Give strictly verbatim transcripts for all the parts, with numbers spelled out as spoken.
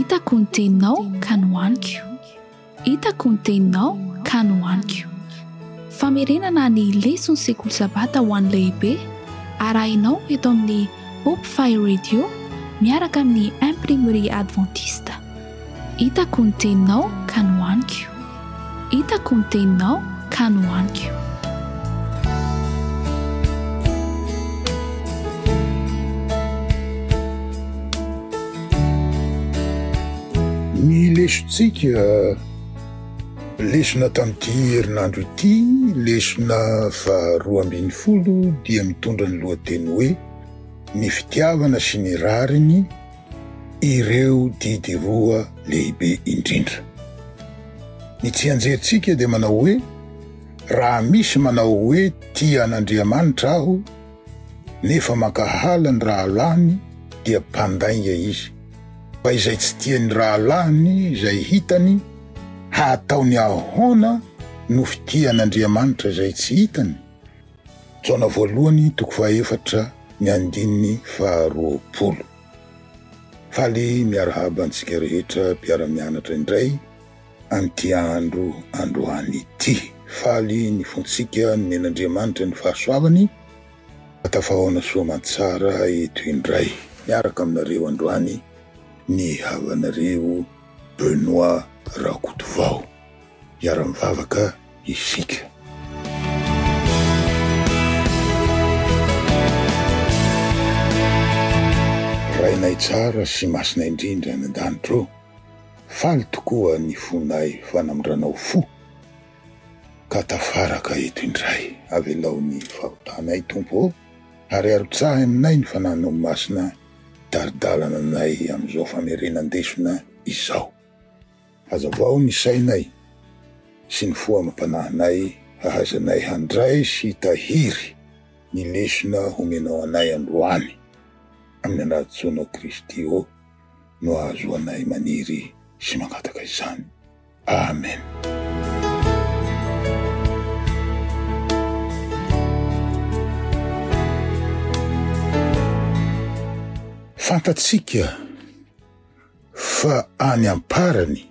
Hitako ny teninao ka nohaniko. Hitako ny teninao ka nohaniko. Famerenana ny leson'ny sekoly sabata ho an'ny lehibe arahinao eto amin'ny Hope Fire Radio miaraka amin'ny Imprimerie Adventiste. Hitako ny teninao ka nohaniko. Hitako ny teninao ka nohaniko. Ny lesontsika lesona tamin'ity herinandro ity, lesona faharoa ambin'ny folo dia mitondra ny lohateny hoe ny fitiavana sy ny rariny, ireo didy roa lehibe indrindra. Ny tsianjerintsika dia manao hoe raha misy manao hoe tia an'Andriamanitra aho nefa mankahala ny rahalahiny dia mpandainga izy. Fa izay tsy tia ny rahalahiny izay hitany, hataony ahoana no fitia an'Andriamanitra izay tsy hitany? Jaona voalohany toko fahaefatra ny andininy faharoapolo. Faly miarahaba antsika rehetra mpiara-mianatra indray amin'ity andro androany ity. Faly ny fontsika nomen'Andriamanitra ny fahasoavany, tafahaona soa aman-tsara eto indray. Miaraka aminareo androany ny havanareo Benoît Rakotovao. Hiara-mivavaka isika. Rainay tsara sy masina indrindra any an-danitra ô, faly tokoa ny fonay fa namindranao fo ka tafaraka eto indray. Avelao ny fahotanay Tompo ô, ary arotsahy aminay ny fananao masina tari-dalana anay amin'izao famerenan-desona izao. Hazavao ny sainay sy ny fo amam-panahinay hahaizanay handray sy hitahiry ny lesona homenao anay androany. Amin'ny anaran'i Kristy ô no ahazoanay maniry sy mangataka izany. Amen. Fantatsika fa any am-parany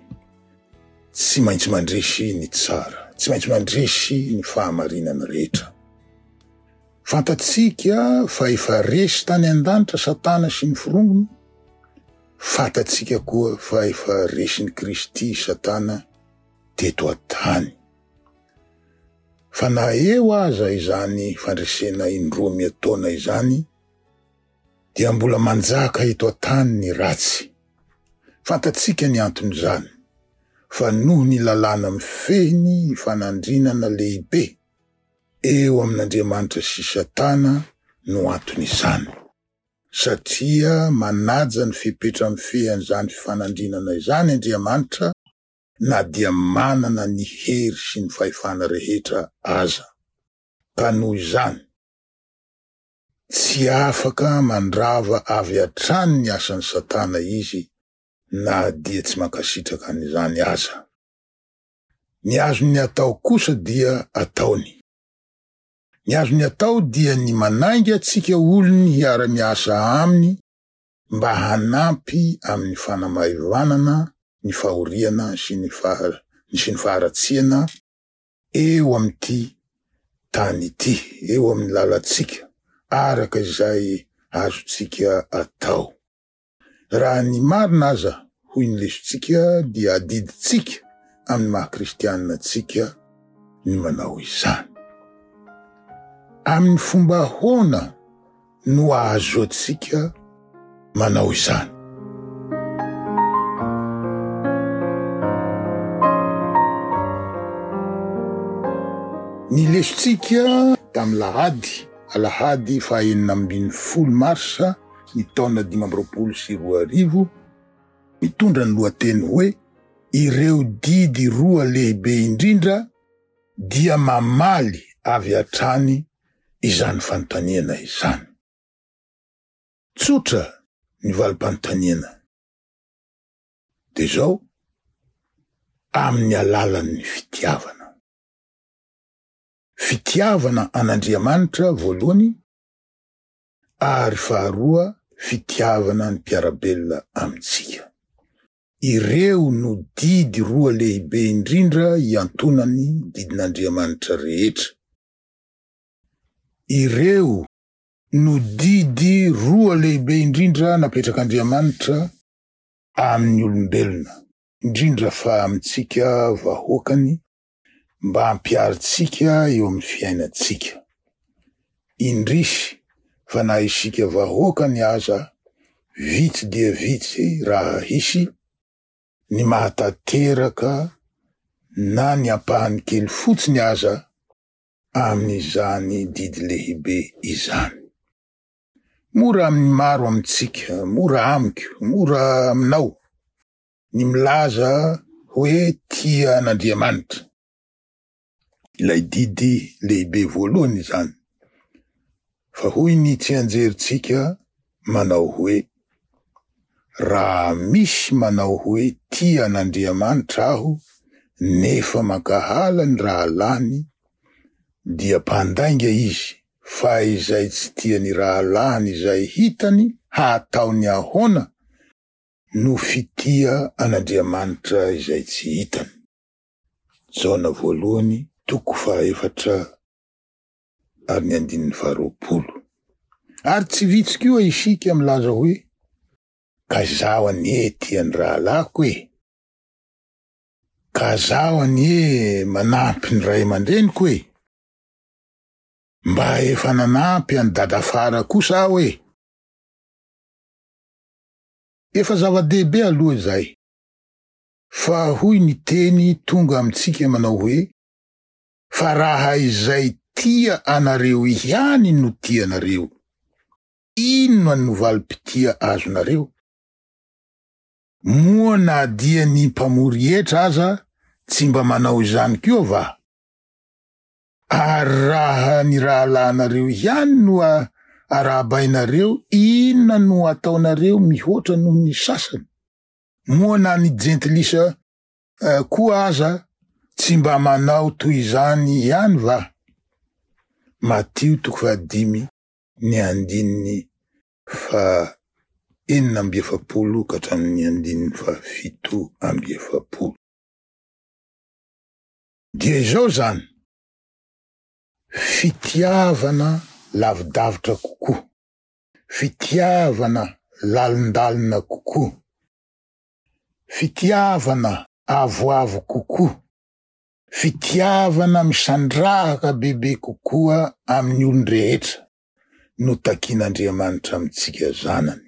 tsy maintsy mandresy ny tsara, tsy maintsy mandresy ny fahamarinana rehetra. Fantatsika fa efa resy tany an-danitra Satana sy ny forongony. Fantatsika koa fa efa resin'i Kristy Satana teto an-tany. Fa na eo aza izany fandresena indroa miataona izany, dia mbola manjaka eto an-tany ny ratsy. Fantatsika ny anton'izany, fa noho ny lalàna mifehy ny fanandrinana lehibe eo amin'Andriamanitra sy Satana no anton'izany. Satria manaja ny fepetra mifehy an'izany fifanandrinana izany Andriamanitra na dia manana ny hery sy ny fahefana rehetra aza. Ka noho izany, tsy afaka mandrava avy hatrany ny asan'i Satana izy na dia tsy mankasitraka an'izany aza. Ny azony atao kosa dia ataony. Ny azony atao dia ny manainga antsika olony hiara-miasa aminy mba hanampy amin'ny fanamaivanana ny fahoriana sy ny faha- sy ny faharatsiana eo amin'ity tany ity, eo amin'ny lalantsika, araka izay azontsika atao. Raha ny marina aza, hoy ny lesontsika, dia adidintsika amin'ny maha kristianina antsika ny manao izany. Amin'ny fomba ahoana no ahazoantsika manao izany? Ny lesontsika tamin'ny lahady, alahady fahaenina ambin'ny folo marsa ny taona dimy amby roapolo sy roa arivo, mitondra ny lohateny hoe ireo didy roa lehibe indrindra dia mamaly avy hatrany izany fanontaniana izany. Tsotra ny valim-panontaniana. Dia izao, amin'ny alalan'ny fitiavana. Fitiavana an'Andriamanitra voalohany, ary faharoa fitiavana ny mpiara-belona amintsika. Ireo no didy roa lehibe indrindra iantonan'ny didin'Andriamanitra rehetra. Ireo no didy roa lehibe indrindra napetrak'Andriamanitra amin'ny olombelona, indrindra fa amintsika vahoakany mba hampiharintsika eo amin'ny fiainantsika. Indrisy fa na isika vahoakany aza vitsy dia vitsy raha hisy ny mahatanteraka na ny ampahany kely fotsiny aza amin'izany didy lehibe izany. Mora amin'ny maro amintsika, mora amiko, mora aminao ny milaza hoe tia an'Andriamanitra. Ilay didy lehibe voalohany izany. Fa hoy ny tsianjerintsika manao hoe: raha misy manao hoe tia an'Andriamanitra aho nefa mankahala ny rahalahiny dia mpandainga izy, fa izay tsy tia ny rahalahiny izay hitany hataony ahoana no fitia an'Andriamanitra izay tsy hitany. Jaona voalohany toko fahaefatra ary ny andininy faharoapolo. Ary tsy vitsy koa isika milaza hoe: ka zaho anie tia ny rahalahiko e, ka zaho anie manampy ny ray aman-dreniko e, mba efa nanampy an'i dadafara kosa aho e. Efa zava-dehibe aloha izay, fa hoy ny teny tonga amintsika manao hoe: fa raha izay tia anareo ihany no tianareo, inona no valim-pitia azonareo? Moa na dia ny mpamory hetra aza tsy mba manao izany koa va? Ary raha ny rahalahinareo ihany no arahabainareo, inona no ataonareo mihoatra noho ny sasany? Moa na ny jentilisa koa aza tsy mba manao toy izany ihany va? Matio toko fahadimy ny andininy fa enina amby efapolo ka hatramin'ny andininy fahafito amby efapolo. Dia izao zany, fitiavana lavidavitra kokoa, fitiavana lalindalina kokoa, fitiavana avoavo kokoa, fitiavana misandrahaka bebe kokoa amin'ny olon-drehetra no takin'Andriamanitra amintsika zanany.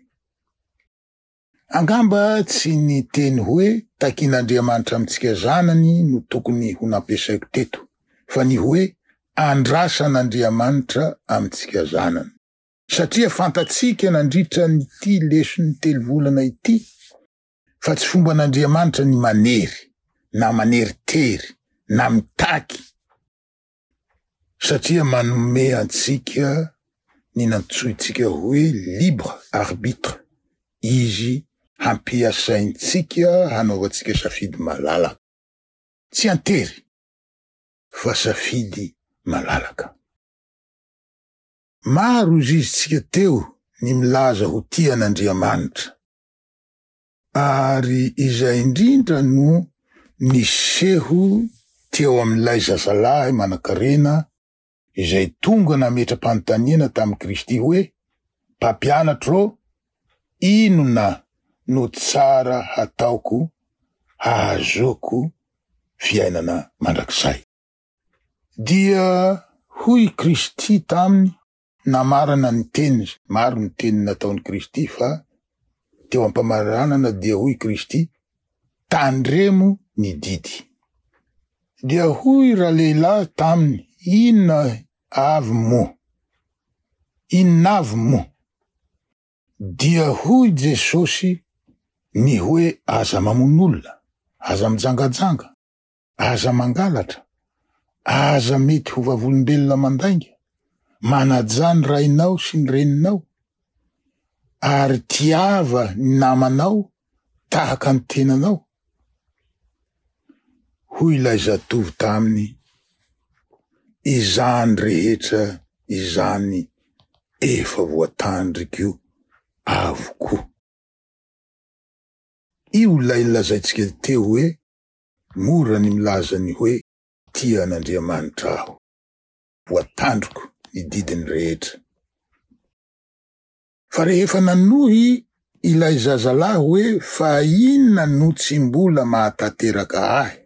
Angamba tsy ny teny hoe takin'Andriamanitra amintsika zanany no tokony ho nampiasaiko teto, fa ny hoe andrasan'Andriamanitra amintsika zanany. Satria fantatsika nandritra nyity leson'ny telo volana ity fa tsy fomban'Andriamanitra ny manery na maneritery na mitaky, satria manome antsika ny nantsointsika hoe libre arbitre izy hampiasaintsika hanaovantsika safidy malalaka. Tsy antery fa safidy malalaka. Maro izy izitsika teo ny milaza ho tia an'Andriamanitra, ary izay indrindra no niseho teo amin'ilay zazalahy manankarena izay tonga nametra-panontaniana tamin'i Kristy hoe: mpampianatro, inona no tsara hataoko hahazoako fiainana mandrakizay? Dia hoy Kristy taminy, namarana ny teniny. Maro ny teny nataon'i Kristy, fa teo ampamaranana dia hoy Kristy: tandremo ny didy. Dia hoy ralehilahy taminy: inona avy moa? Inona avy moa? Dia hoy Jesosy ny hoe: aza mamono olona, aza mijangajanga, aza mangalatra, aza mety ho vavolombelona mandainga, manaja ny rainao sy ny reninao, ary tiava ny namanao tahaka ny tenanao. Hoy ilay zatovo taminy: izany rehetra izany efa voatandriko avokoa. Io ilay lazaintsika teo hoe mora ny milaza ny hoe tia an'Andriamanitra aho, voatandriko ny didiny rehetra. Fa rehefa nanohy ilay zazalahy hoe fa inona no tsy mbola mahatanteraka ahy?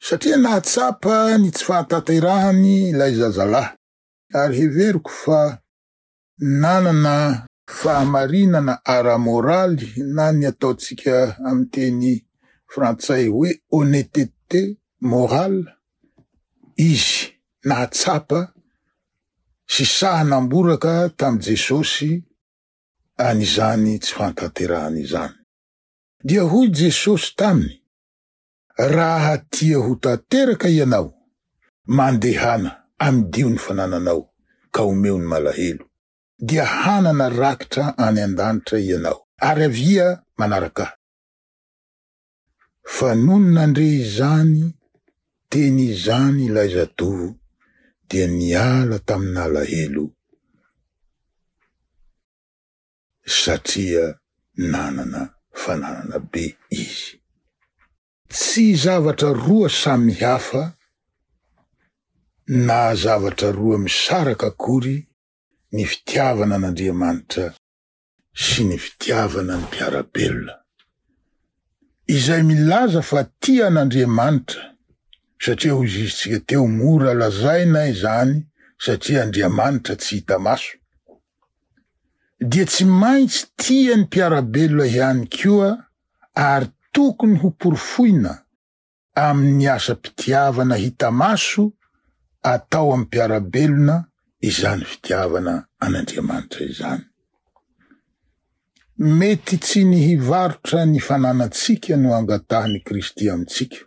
Satria nahatsapa ny tsy fahatanterahany ilay zazalahy, ary heveriko fa nanana fahamarinana ara-moraly na ny ataontsika amin'ny teny frantsay hoe honnêteté morale izy, nahatsapa sy sahy namboraka tamin'i Jesosy an'izany tsy fahatanterahany izany. Dia hoy Jesosy taminy, raha tia ho tanteraka ianao, mandehana amidio ny fanananao ka omeo ny malahelo, dia hanana rakitra any an-danitra ianao, ary avia manaraka ahy. Fa nony nandre izany teny izany ilay zatovo, dia niala tamin'alahelo satria nanana fananana be izy. Tsy zavatra roa samy hafa na zavatra roa misaraka akory ny fitiavana an'Andriamanitra sy ny fitiavana ny mpiara-belona. Izay milaza fa tia an'Andriamanitra, satria hoy izy tsika teo mora lazaina izany satria Andriamanitra tsy hita maso, dia tsy maintsy tia ny mpiara-belona ihany koa ary tokony ho porofoina amin'ny asam-pitiavana hita maso atao amin'ny mpiara-belona izany fitiavana an'Andriamanitra izany. Mety tsy ny hivarotra ny fananantsika no angatahan'i Kristy amintsika,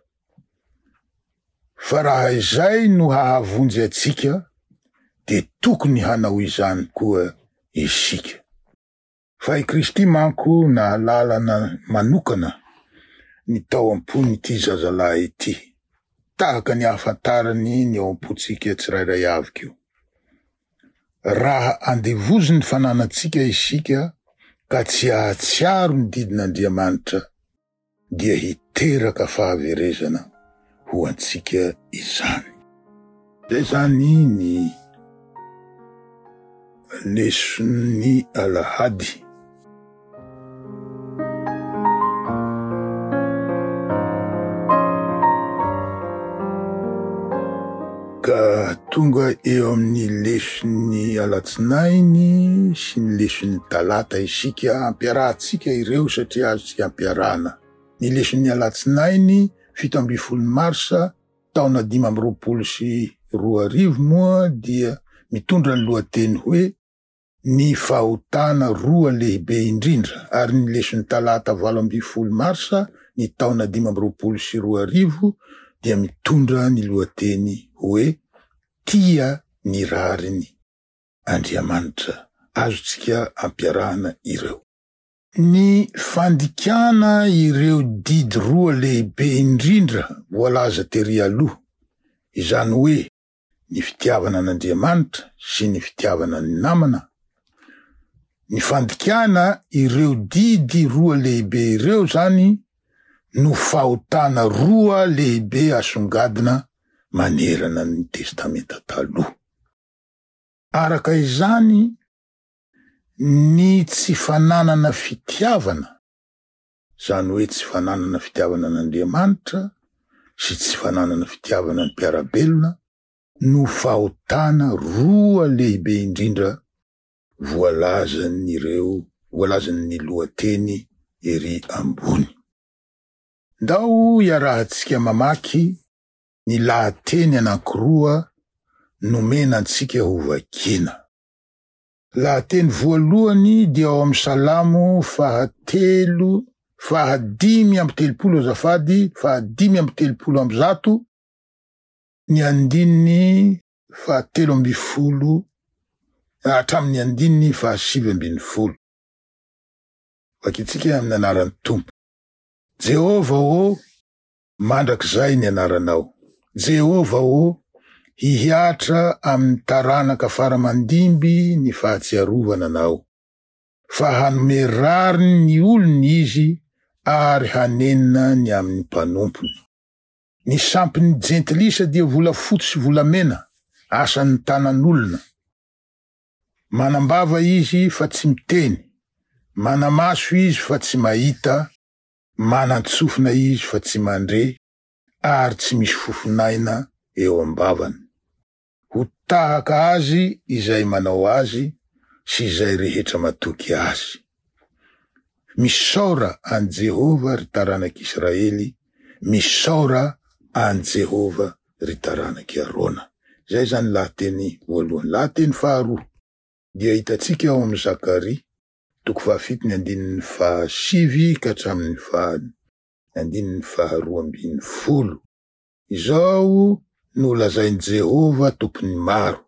fa raha izay no hahavonjy antsika dia tokony hanao izany koa isika. Fa i Kristy manko nahalalana manokana ny tao am-pon'ity zazalahy ity, tahaka ny ahafantarany ny ao am-pontsika tsirairay avy koa. Raha andevozin'ny fananantsika isika ka tsy hahatsiaro ny didin'Andriamanitra, dia hiteraka fahaverezana ho antsika izany. Zay zany ny leson'ny alahady. Ka tonga eo amin'ny leson'ny alatsinainy sy ny leson'ny talata isika, ampiarahantsika ireo satria azontsika ampiarahana. Ny leson'ny alatsinainy fito ambin'ny folo marsa taona dimy amby roapolo sy roa arivo moa dia mitondra ny lohateny hoe ny fahotana roa lehibe indrindra, ary ny leson'ny talata valo ambin'ny folo marsa ny taona dimy amby roapolo sy roa arivo dia mitondra ny lohateny hoe tia ny rariny Andriamanitra. Azontsika ampiarahana ireo. Ny fandikana ireo didy roa lehibe indrindra voalaza tery aloha, izany hoe ny fitiavana an'Andriamanitra sy ny fitiavana ny namana, ny fandikana ireo didy roa lehibe ireo zany no fahotana roa lehibe asongadina manerana ny Testamenta Taloha. Araka izany, ny tsy fananana fitiavana, zany hoe tsy fananana fitiavana an'Andriamanitra sy tsy fananana fitiavana ny mpiara-belona, no fahotana roa lehibe indrindra voalazan'ireo voalazan'ny lohateny ery ambony. Ndao iarahantsika mamaky ny lahateny anankiroa nomena antsika ho vakiana. Lahateny voalohany dia ao amin'ny Salamo fahatelo fahadimy amby telopolo azafady fahadimy amby telopolo amby zato ny andininy fahatelo ambin'ny folo hatramin'ny andininy fahasivy ambin'ny folo. Vakintsika amin'ny anaran'ny Tompo. Jehovah ô, mandrakizay ny anaranao. Jehovah ô, hihatra amin'ny taranaka faramandimby ny fahatsiarovana anao. Fa hanome rariny ny olony izy ary hanenina ny amin'ny mpanompony. Ny sampin'ny jentilisa dia volafotsy sy volamena, asan'ny tanan'olona. Manam-bava izy fa tsy miteny, mana-maso izy fa tsy mahita, manan-tsofina izy fa tsy mandre, ary tsy misy fofonaina eo am-bavany. Ho tahaka azy izay manao azy sy izay rehetra matoky azy. Misaora an'i Jehovah ry taranak'Israely, misaora an'i Jehovah ry taranak'i Arona. Izay izany lahateny voalohany. Lahateny faharoa dia hitantsika ao amin'ny Zakaria, toko fahafito ny andininy fahasivy ka hatramin'ny faha andininy faharoa ambin'ny folo. Izao no lazain'i Jehovah tompon'ny maro,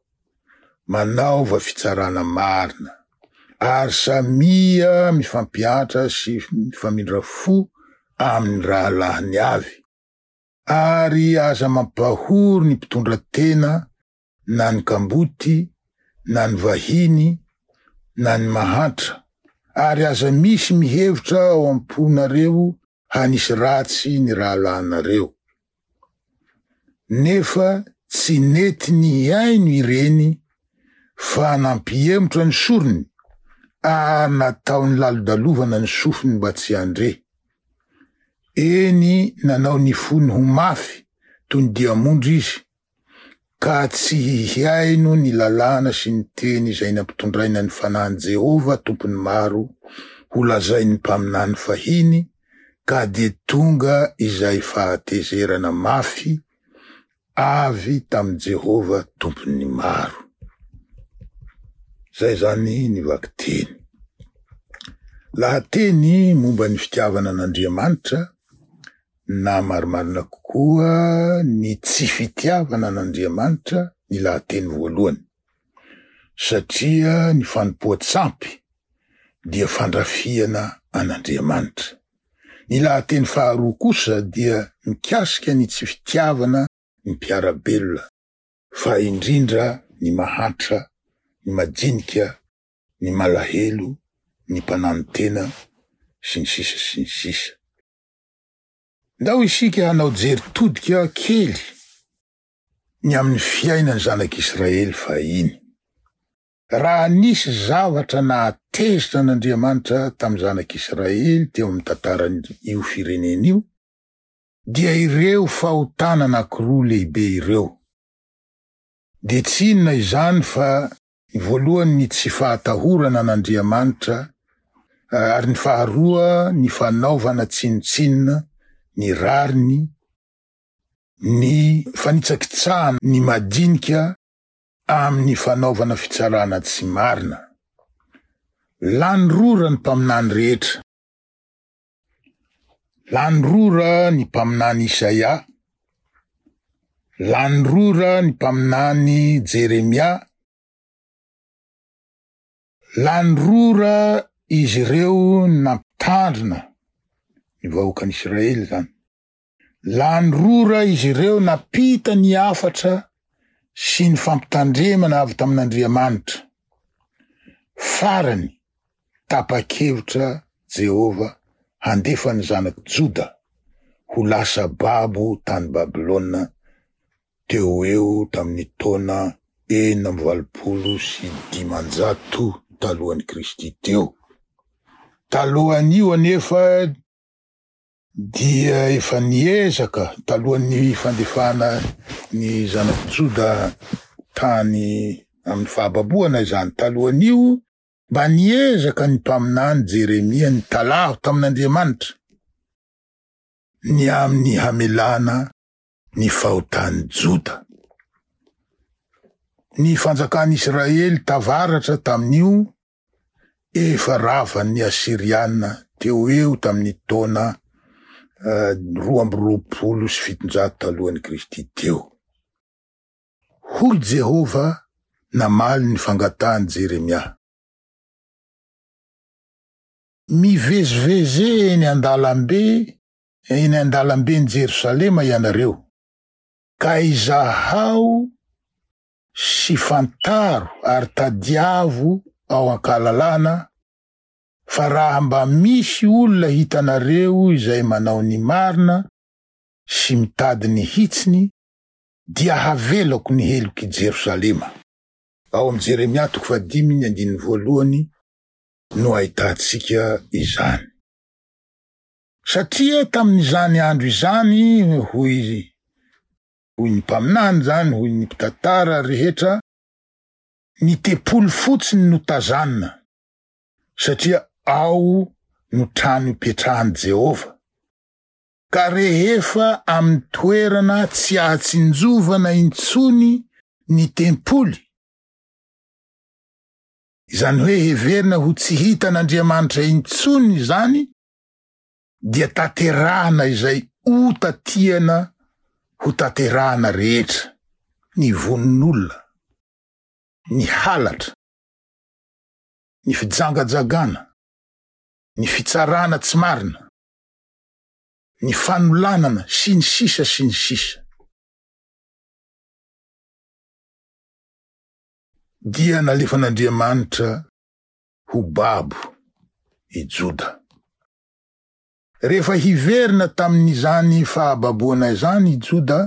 manaova fitsarana marina, ary samia mifampiantra sy mifamindra fo amin'ny rahalahiny avy, ary aza mampahory ny mpitondra tena na ny kamboty na ny vahiny na ny mahantra, ary aza misy mihevitra ao am-ponareo hanisy ratsy ny rahalahinareo. Nefa tsy nety nihaino ireny fa nampiemotra ny sorony ary nataony lalodalovana ny sofiny mba tsy handre. Eny, nanao ny fony ho mafy toy ny diamondra izy, ka tsy hihaino ny lalàna sy ny teny izay nampitondraina ny fanahin'i Jehovah tompon'ny maro ho lazain'ny mpaminany fahiny, ka dia tonga izay fahatezerana mafy avy tamin'i Jehovah tompon'ny maro. Zay zany ny vakiteny. Lahateny momba ny fitiavana an'Andriamanitra na marimarina kokoa ny tsy fitiavana an'Andriamanitra ny lahateny voalohany, satria ny fanompoan-tsampy dia fandrafiana an'Andriamanitra. Ny lahateny faharoa kosa dia mikasika ny tsy fitiavana ny mpiara-belona, fa indrindra ny mahantra, ny madinika, ny malahelo, ny mpananotena sy ny sisa sy ny sisa. Ndao isika hanao jery todika kely ny amin'ny fiainan'ny zanak'Israely fahiny. Raha nisy zavatra nahatezitra an'Andriamanitra tamin'ny zanak'Israely teo amin'ny tantaran'io firenena io, dia ireo fahotana anankiroa lehibe ireo. Dia tsy inona izany fa ny voalohany ny tsy fahatahorana an'Andriamanitra, ary ny faharoa ny fanaovana tsinontsinona ny rariny, ny fanitsakitsahana ny madinika amin'ny fanaovana fitsarana tsy marina. Lany rora ny mpaminany rehetra. Lany rora ny mpaminany Isaia, lany rora ny mpaminany Jeremia, lany rora izy ireo nampitandrina ny vahoakan'Israely zany. Lany rora izy ireo nampita ny hafatra sy ny fampitandremana avy tamin'Andriamanitra. Farany, tapa-kevitra Jehovah handefa ny zanak'i Joda ho lasa babo tany Babylona teo eo tamin'ny taona enina amby valopolo sy dimanjato talohan'i Kristy teo. Talohan'io anefa dia efa niezaka talohan'ny fandefana ny zanak'i Joda tany amin'ny fahababoana izany. Talohan'io mba niezaka ny mpaminany Jeremia nitalaho tamin'Andriamanitra ny amin'ny hamelana ny fahotan'i Joda. Ny fanjakan'Israely tavaratra tamin'io efa ravan'ny Asyriana teo eo tamin'ny taona roa amby roapolo sy fitonjato talohan'i Kristy teo. Hoy Jehovah namaly ny fangatahan'i Jeremia. Mivezivezy eny an-dalambe, eny an-dalamben'i Jerosalema ianareo, ka izahao sy fantaro ary tadiavo ao an-kalalana Fa raha mba misy olona hitanareo izay manao ny marina sy mitady ny hitsiny, dia havelako ny helok'i Jerosalema. Ao amin'ny Jeremia toko fahadimy ny andininy voalohany no ahitantsika izany. Satria tamin'izany andro izany, hoy hoy ny mpaminany zany, hoy ny mpitantara rehetra, ny tempoly fotsiny no tazanina, satria ao no trano ipetrahan'i Jehovah. Ka rehefa amin'ny toerana tsy ahatsinjovana intsony ny tempoly, izany hoe heverina ho tsy hitan'Andriamanitra intsony izany, dia tanterahana izay ota tiana ho tanterahana rehetra, ny vonin'olona, ny halatra, ny fijangajangana, ny fitsarana tsy marina, ny fanolanana sy ny sisa sy ny sisa. Dia nalefan'Andriamanitra ho babo i Joda. Rehefa hiverina tamin'izany fahababoana izany i Joda,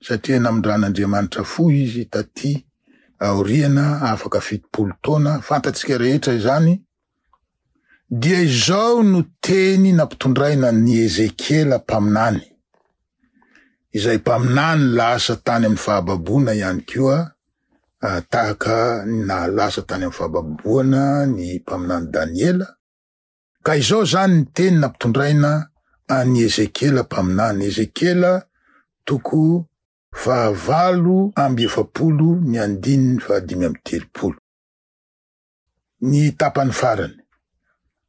satria namindran'Andriamanitra fo izy taty aoriana afaka fitopolo taona, fantatsika rehetra izany, dia izao no teny nampitondraina ny Ezekiela mpaminany, izay mpaminany lasa tany amin'ny fahababoana ihany koa, tahaka ny nahalasa tany amin'ny fahababoana ny mpaminany Daniela. Ka izao zany ny teny nampitondraina an'i Ezekiela mpaminany. Ezekiela toko fahavalo amby efapolo ny andininy fahadimy amby telopolo. Ny tapany farany.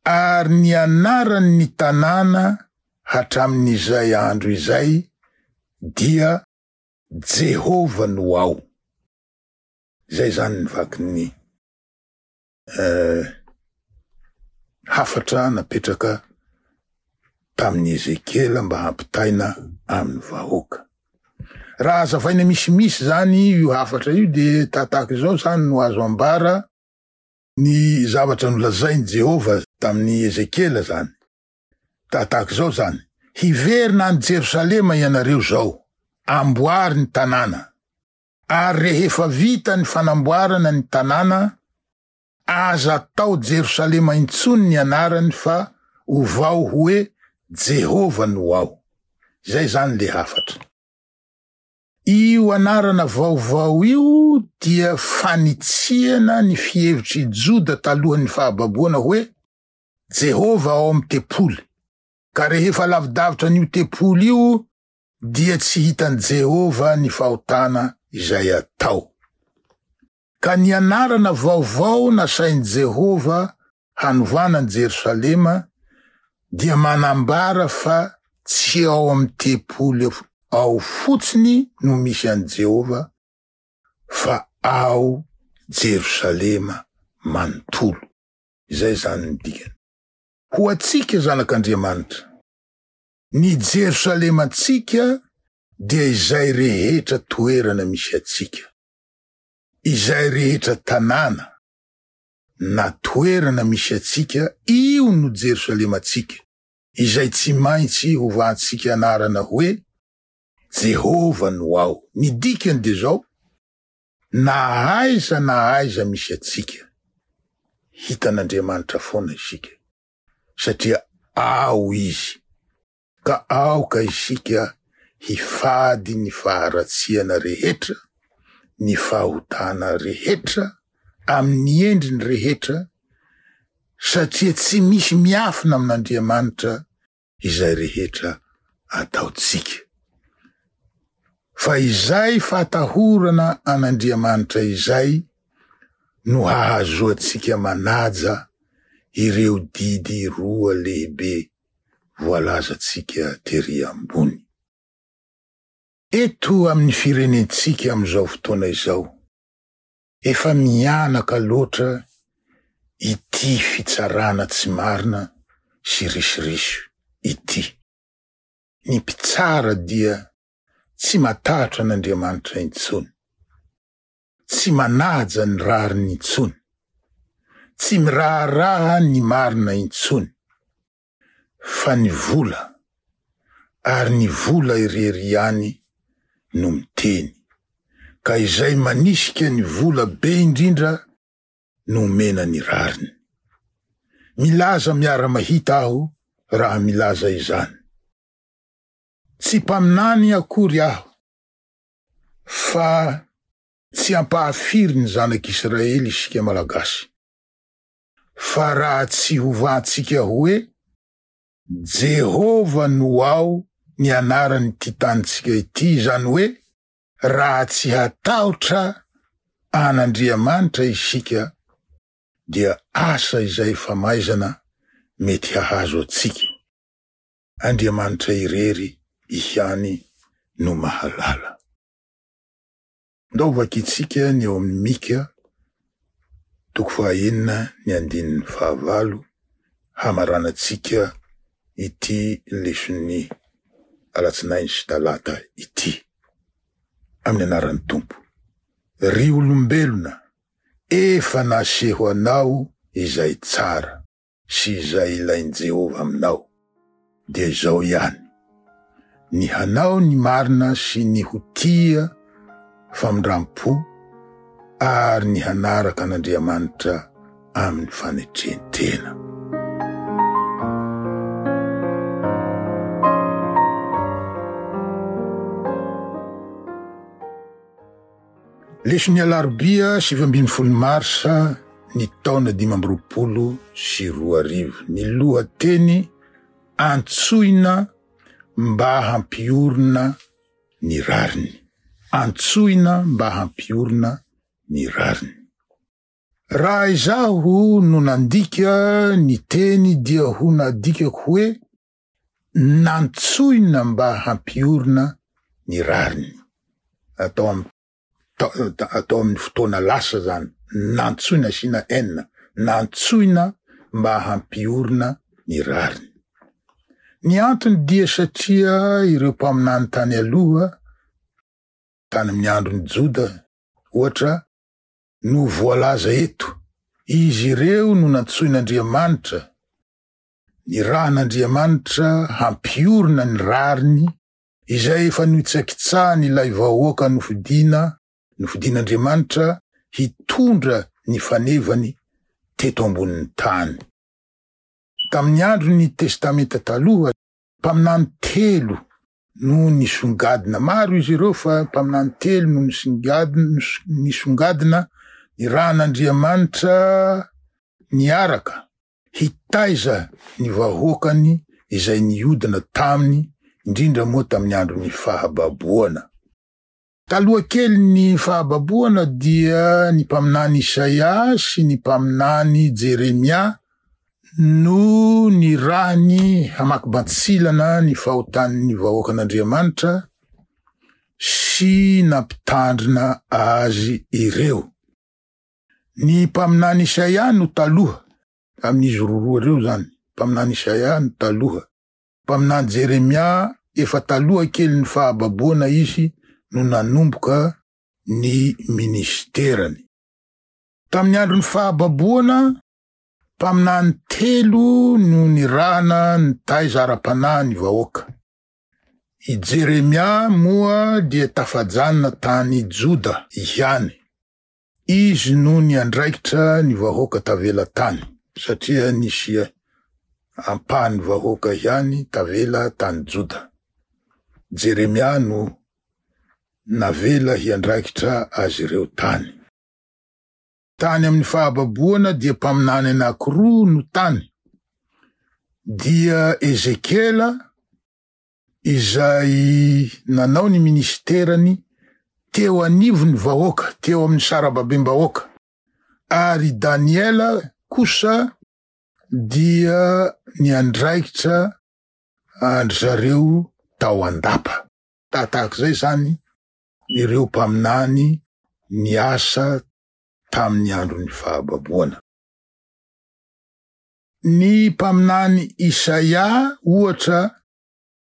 Ary ny anaran'ny tanàna hatramin'izay andro izay dia Jehovah no ao. Izay zany ny vakin'ny eh, hafatra napetraka tamin'ny Ezekiela mba hampitaina amin'ny vahoaka. Raha hazavaina misimisy zany io hafatra io, dia tataka izao zany no azo ambara ny zavatra nolazain'i Jehovah tamin'ny Ezekiela zany. Tataka izao zany: hiverina any Jerosalema ianareo zao, amboary ny tanàna. Ary rehefa vita ny fanamboarana ny tanàna, aza atao Jerosalema intsony ny anarany fa ovao hoe Jehovah no ao. Izay zany le hafatra. Io anarana vaovao io dia fanitsiana ny fihevitr'i Joda talohan'ny fahababoana hoe Jehovah ao amin'ny tempoly. Ka rehefa lavidavitra an'io tempoly io dia tsy hitan'i Jehovah ny fahotana izay atao. Ka ny anarana vaovao nasain'i Jehovah hanovana ny Jerosalema dia manambara fa tsy ao amin'ny tempoly ao fotsiny no misy an'i Jehovah, fa ao Jerosalema manontolo. Izay zany ny dikany. Ho antsika zanak'Andriamanitra, ny Jerosalemantsika dia izay rehetra toerana misy antsika, izay rehetra tanàna na toerana misy antsika, io no Jerosalemantsika, izay tsy maintsy hovantsika anarana hoe Jehovah no ao. Ny dikany dia zao: na aiza na aiza misy antsika, hitan'Andriamanitra foana isika, satria ao izy. Ka aoka isika hifady ny faharatsiana rehetra, ny fahotana rehetra, amin'ny endriny rehetra, satria tsy misy miafina amin'Andriamanitra izay rehetra ataontsika. Fa izay fahatahorana an'Andriamanitra izay no hahazoantsika manaja ireo didy roa lehibe voalazantsika tery ambony. Eto amin'ny firenentsika amin'izao fotoana izao, efa mianaka loatra ity fitsarana tsy marina sy risoriso ity. Ny mpitsara dia tsy matahotra an'Andriamanitra intsony, tsy manaja ny rariny intsony, Tsy miraharaha ny marina intsony, fa ny vola, ary ny vola irery ihany no miteny. Ka izay manisika ny vola be indrindra no omena ny rariny. Milaza miara-mahita aho raha milaza izany. Tsy mpaminany akory aho, fa tsy ampahafiry ny zanak'Israely isika Malagasy. Fa raha tsy hovantsika hoe Jehovah no ao ny anaran'ity tanintsika ity, izany hoe raha tsy hatahotra an'Andriamanitra isika dia asa izay famaizana mety hahazo antsika. Andriamanitra irery ihany no mahalala. Ndao vakitsika ny ao amin'ny Mika toko fahaenina ny andininy fahavalo hamaranantsika ity leson'ny alatsinainy sy talata ity. Amin'ny anaran'ny Tompo. Ry olombelona, efa naseho anao izay tsara sy izay ilain'i Jehovah aminao, dia izao ihany: ny hanao ny marina sy ny ho tia famindram-po ary ny hanaraka an'Andriamanitra amin'ny fanetren-tena. Leson'ny alarobia sivy ambin'ny folo marsa ny taona dimy amby roapolo sy roa arivo. Ny lohateny antsoina mba hampiorina ny rariny. Antsoina mba hampiorina ny rariny. Raha izaho no nandika ny teny dia ho nadikako hoe nantsoina mba hampiorina ny rariny. Atao am atao amin'ny fotoana lasa zany, nantsoina asiana n, nantsoina mba hampiorina ny rariny. Ny antony dia satria ireo mpaminany tany aloha, tany amin'ny andron'ny Joda ohatra, no voalaza eto. Izy ireo no nantsoin'Andriamanitra, ny rahan'Andriamanitra hampiorina ny rariny izay efa notsakitsahany ilay vahoaka nofidina, nofidin'Andriamanitra hitondra ny fanevany teto ambonin'ny tany. Tamin'ny andron'ny Testamenta taloha, mpaminany telo no nisongadina. Maro izy ireo fa mpaminany telo no nisongadina, nisongadina ny rahan'Andriamanitra niaraka hitaiza ny vahoakany izay niodina taminy, indrindra moa tamin'ny andron'ny fahababoana. Taloha kely ny fahababoana dia ny mpaminany Isaia sy ny mpaminany Jeremia no nirahany hamaky bantsilana ny fahotan'ny vahoakan'Andriamanitra sy nampitandrina azy ireo. Ny mpaminany Isaia no taloha, amin'izy roa ireo zany, mpaminany Isaia no taloha. Mpaminany Jeremia efa taloha kely ny fahababoana izy no nanomboka ny ministerany. Tamin'ny andron'ny fahababoana, mpaminany telo no nirahana nitaiza ara-panahy ny vahoaka. I Jeremia moa dia tafajanona tany Joda ihany. Izy no niandraikitra ny vahoaka tavela tany, satria nisy ampahan'ny vahoaka ihany tavela tany Joda. Jeremia no navela hiandraikitra azy ireo tany. Tany amin'ny fahababoana dia mpaminany anankiroa no tany, dia Ezekiela izay nanao ny ministerany teo anivon'ny vahoaka, teo amin'ny sarababem-bahoaka, ary Daniela kosa dia niandraikitra andry zareo tao an-dapa. Tahak'izay zany ireo mpaminany niasa tamin'ny andron'ny fahababoana. Ny mpaminany Isaia ohatra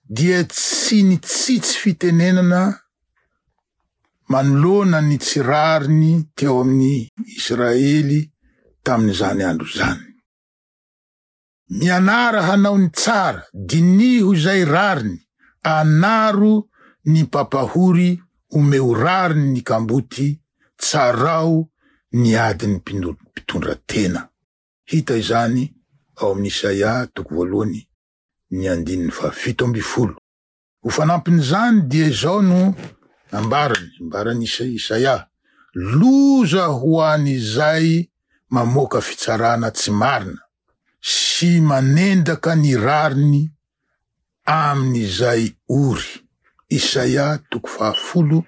dia tsy nitsitsy fitenenana manoloana ny tsy rariny teo amin'ny Israely tamin'izany andro izany. Mianara hanao ny tsara, diniho izay rariny, anaro ny mpampahory, omeo rariny ny kamboty, tsarao ny adin'ny mpitondra tena. Hita izany ao amin'ny Isaia toko voalohany ny andininy fahafito ambin'ny folo. Ho fanampin'izany dia izao no ambarany, ambarany Isaia: loza ho an'izay mamoaka fitsarana tsy marina sy manendaka ny rariny amin'izay ory. Isaia toko fahafolo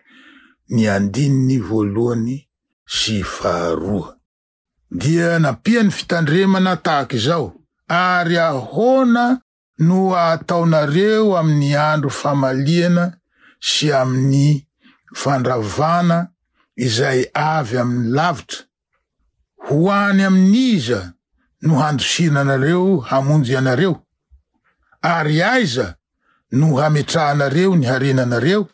ny andininy voalohany sy faharoa. Dia nampiany fitandremana tahaka izao: ary ahoana no ataonareo amin'ny andro famaliana sy amin'ny fandravana izay avy amin'ny lavitra? Ho any amin'iza no handosiranareo hamonjy anareo? Ary aiza no hametrahanareo ny harenanareo?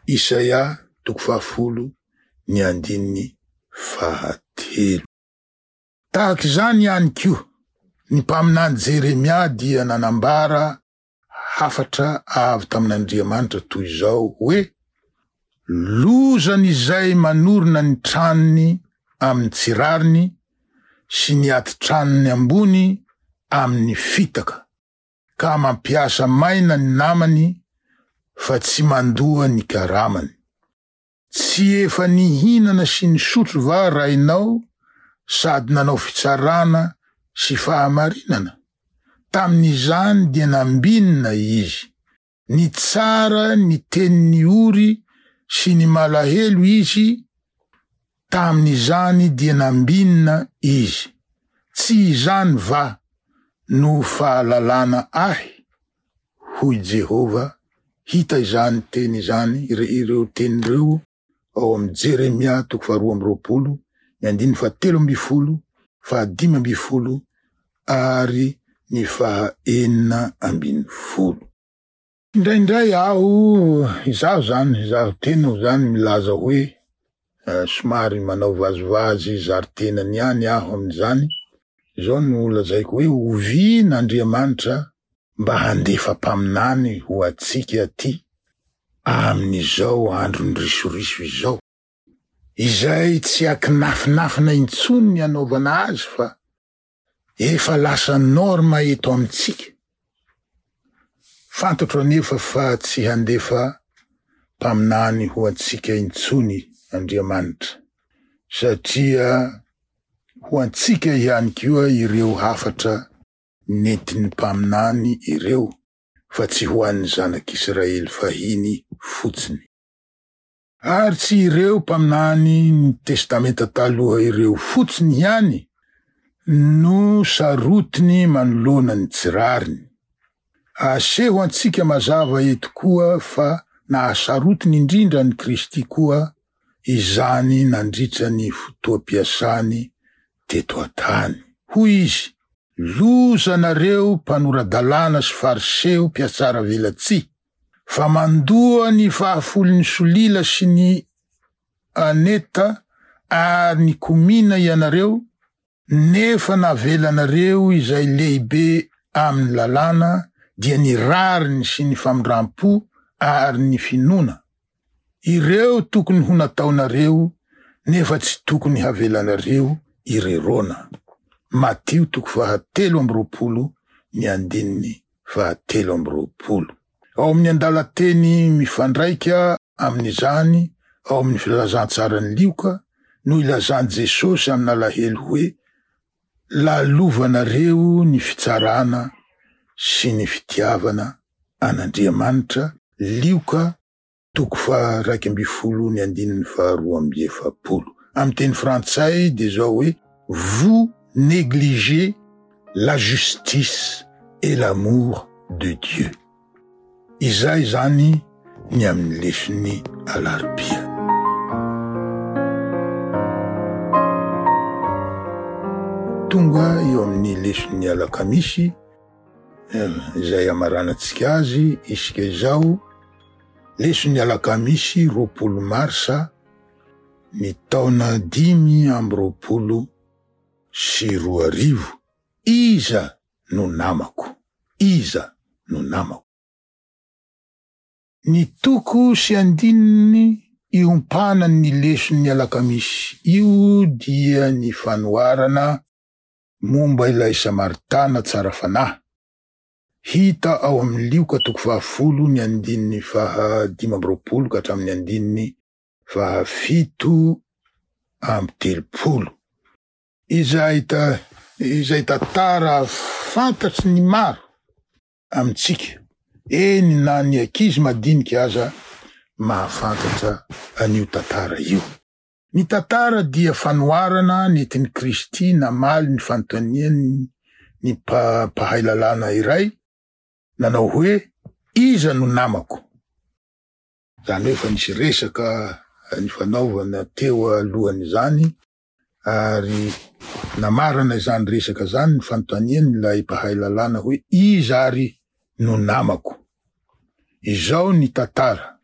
Isaia toko fahafolo ny andininy fahatelo. Tahaka izany ihany koa, ny mpaminany Jeremia dia nanambara hafatra avy tamin'Andriamanitra toy izao hoe: lozan'izay manorina ny tranony amin'ny tsy rariny sy ny atitranony ambony amin'ny fitaka, ka mampiasa maina ny namany fa tsy mandoa ny karamany. Tsy efa nihinana sy nisotro va rainao sady nanao fitsarana sy fahamarinana? Tamin'izany dia nambinina izy. Nitsara ny tenin'ny ory sy ny malahelo izy, tamin'izany dia nambinina izy. Tsy izany va no fahalalana ahy? Hoy Jehovah. Hita izany teny izany, ireo teny ireo ao amin'ny Jeremia toko faharoa amby roapolo, ny andininy fahatelo ambin'ny folo, fahadimy ambin'ny folo ary ny fahaenina ambin'ny folo. Indraindray aho, izaho zany, izaho tena zany milaza hoe somary manao vazivazy zary tenany ihany aho amin'izany. Izao no lazaiko hoe oviana Andriamanitra mba handefa mpaminany ho antsika aty amin'izao andron'ny risoriso izao, izay tsy akinafinafina intsony ny anaovana azy fa efa lasa norma eto amintsika. Fantatro anefa fa tsy handefa mpaminany ho antsika intsony Andriamanitra, satria ho antsika ihany koa ireo hafatra nentin'ny mpaminany ireo, fa tsy ho an'ny zanak'Israely fahiny fotsiny. Ary tsy ireo mpaminany ny Testamenta taloha ireo fotsiny ihany no sarotiny manoloana ny tsy rariny. Aseho antsika mazava eto koa fa nahasarotiny indrindra ny Kristy koa izany nandritra ny fotoam-piasany teto an-tany. Hoy izy: lozanareo mpanora-dalàna sy fariseo mpiatsara velatsihy, fa mandoa ny fahafolon'ny solila sy ny aneta ary ny komina ianareo, nefa navelanareo izay lehibe amin'ny lalàna, dia ny rariny sy ny famindram-po ary ny finoana. Ireo tokony ho nataonareo, nefa tsy tokony havelanareo irerona. Matio toko fahatelo amby roapolo ny andininy fahatelo amby roapolo. Ao amin'ny andalan-teny mifandraika amin'izany, ao amin'ny filazantsaran'i Lioka, no ilazan'i Jesosy amin'alahelo hoe: lalovanareo ny fitsarana sy ny fitiavana an'Andriamanitra. Lioka toko faha-iraika ambin'ny folo ny andininy faharoa amby efapolo. Amin'ny teny frantsay dia izao hoe: vous négligez la justice et l'amour de Dieu. Izay zany ny amin'ny leson'ny alarobia. Tonga eo amin'ny leson'ny alakamisy izay amaranantsika azy isika izao. Leson'ny alakamisy roapolo marsa ny taona dimy amby roapolo sy roa arivo. Iza no namako? Iza no namako? Ny toko sy andininy iompanan'ny leson'ny alakamisy io dia ny fanoharana momba ilay Samaritana tsara fanahy. Hita ao amin'ny Lioka toko fahafolo ny andininy fahadimy amby roapolo ka hatramin'ny andininy fahafito amby telopolo. Izay ta- izay tantara fantatry ny maro amintsika, eny na ny ankizy madinika aza mahafantatra an'io tantara io. Ny tantara dia fanoharana nentin'i Kristy namaly ny fanontaniany ny mpa- mpahay lalàna iray nanao hoe iza no namako? Zany hoe efa nisy resaka nifanaovana teo alohan'izany ary namarana izany resaka zany ny fanontaniany ilay mpahay lalàna hoe iza ary no namako? Izao ny tantara,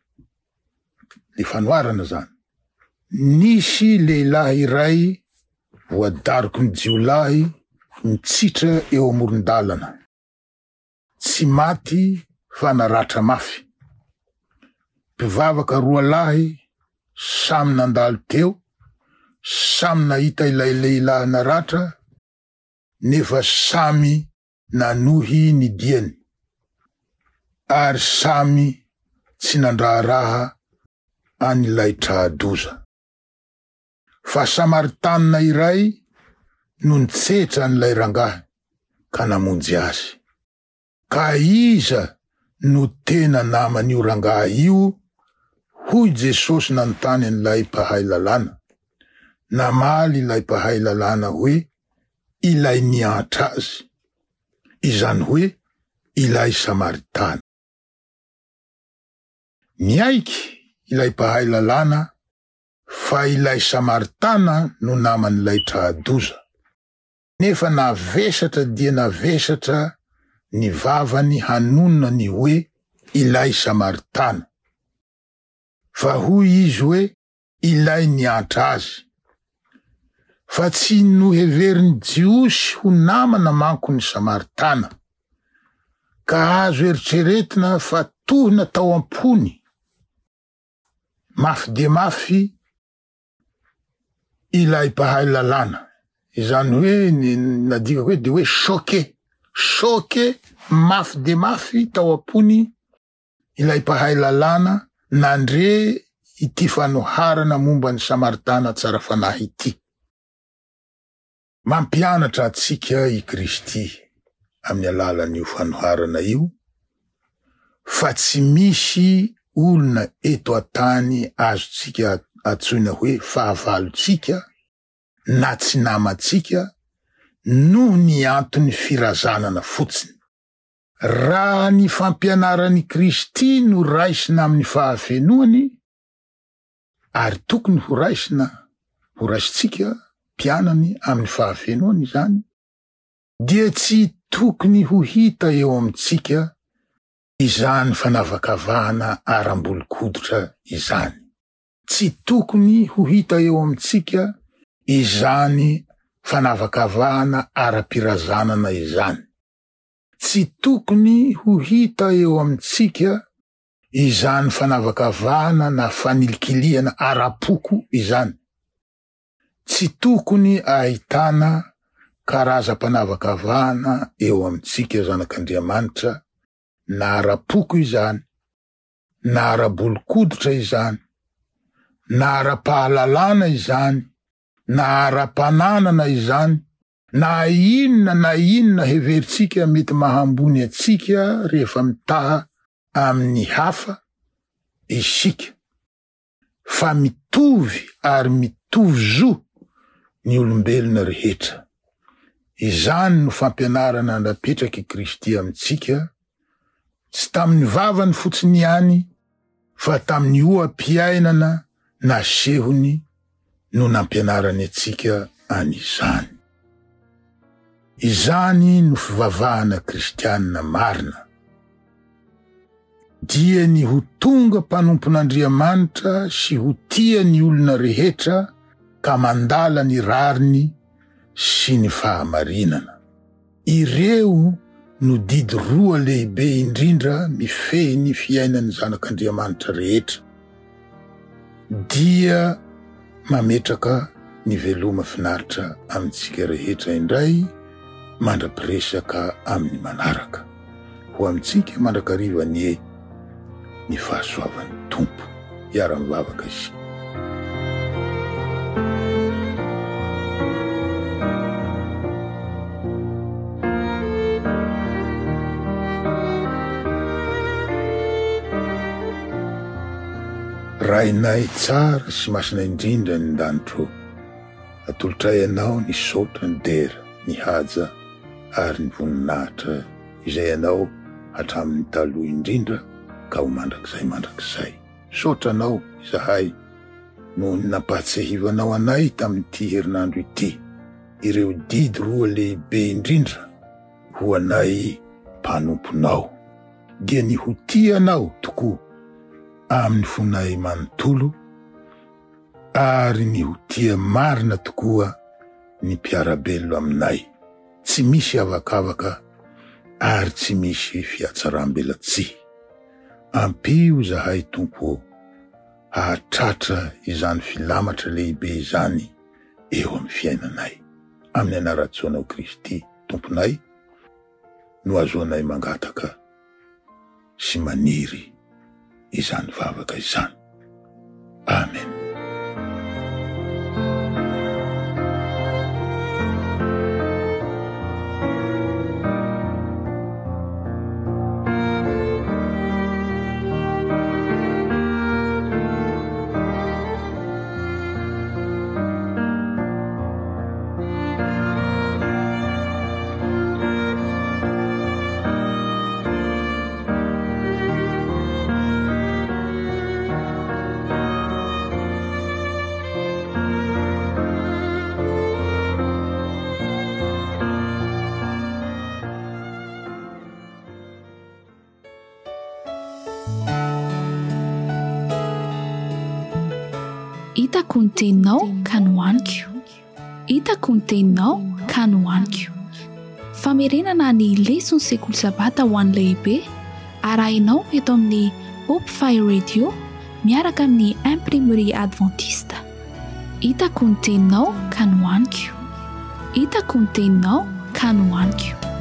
le fanoharana zany. Nisy lehilahy iray voadaroky ny jiolahy nitsitra eo amoron-dalana. Tsy maty fa naratra mafy. Mpivavaka roa lahy samy nandalo teo, samy nahita ilay lehilahy naratra, nefa samy nanohy ny diany, ary samy tsy nandraharaha an'ilay tra-doza. Fa Samaritanina iray no nitsetra an'ilay rangahy ka namonjy azy. Ka iza no tena naman'io rangahy io? Hoy Jesosy nanontany an'ilay mpahay lalàna. Namaly ilay mpahay lalàna hoe ilay niantra azy, izany hoe ilay Samaritana. Niaiky ilay mpahay lalàna fa ilay Samaritana no naman'ilay tra-doza. Nefa navesatra dia navesatra ny vavany hanonona ny hoe ilay Samaritana. Fa hoy izy hoe ilay niantra azy. Fa tsy noheverin'ny Jiosy ho namana manko ny Samaritana, ka azo eritreretina fa tohina tao am-pony mafy dia mafy ilay mpahay lalàna. Izany hoe ny nadikako hoe de hoe choqué, choqué mafy dia mafy tao am-pony ilay mpahay lalàna nandre ity fanoharana momba ny Samaritana tsara fanahy ity. Mampianatra antsika i Kristy amin'ny alalan'io fanoharana io fa tsy misy olona eto an-tany azontsika antsoina hoe fahavalontsika na tsy namantsika noho ny antony firazanana fotsiny. Raha ny fampianaran'i Kristy no raisina amin'ny fahafenoany, ary tokony ho raisina, ho raisintsika mpianany amin'ny fahafenoany izany, dia tsy tokony ho hita eo amintsika izany fanavakavahana aram-bolon-koditra izany. Tsy tokony ho hita eo amintsika izany fanavakavahana ara-pirazanana izany. Tsy tokony ho hita eo amintsika izany fanavakavahana na fanilikilihana ara-poko izany. Tsy tokony ahitana karazam-panavakavahana eo amintsika zanak'Andriamanitra, na ara-poko izany, na ara-bolon-koditra izany, na ara-pahalalana izany, na ara-pananana izany, na inona na inona heverintsika mety mahambony antsika rehefa mitaha amin'ny hafa isika, fa mitovy ary mitovy zo ny olombelona rehetra. Izany no fampianarana napetraky Kristy amintsika, tsy tamin'ny vavany fotsiny ihany fa tamin'ny oha-piainana nasehony no nampianarany antsika an'izany. Izany no fivavahana kristianina marina. Dia ny ho tonga mpanompon'Andriamanitra sy ho tia ny olona rehetra ka mandala ny rariny sy ny fahamarinana. Ireo no didy roa lehibe indrindra mifehy ny fiainan'ny zanak'Andriamanitra rehetra. Dia mametraka ny veloma finaritra amintsika rehetra indray mandra-piresaka amin'ny manaraka. Ho amintsika mandrakariva anie ny fahasoavan'ny Tompo. Hiara-mivavaka isika. Rainay tsara sy masina indrindra ny danitro, atolotray anao ny saotra, ny dera, ny haja ary ny voninahitra izay anao hatramin'ny taloha indrindra ka ho mandrakizay mandrakizay. Saotra anao izahay noho ny nampahatsiahivanao anay tamin'ity herinandro ity ireo didy roa lehibe indrindra ho anay mpanomponao, dia ny ho tia anao tokoa amin'ny fonay manontolo ary ny ho tia marina tokoa ny mpiara-belona aminay, tsy misy avakavaka ary tsy misy fihatsaram-belatsihy. Ampio izahay Tompo hahatratra izany filamatra lehibe izany eo amin'ny fiainanay. Amin'ny anaran'i Kristy Tomponay no azoanay mangataka sy maniry izany vavaka izany. Amen. Hitako ny teninao ka nohaniko. Hitako ny teninao ka nohaniko. Famerenana ny leson'ny sekoly sabata ho an'ny lehibe arahinao eto amin'ny Hope Fire Radio miaraka amin'ny Imprimerie Adventiste. Hitako ny teninao ka nohaniko. Hitako ny teninao ka nohaniko.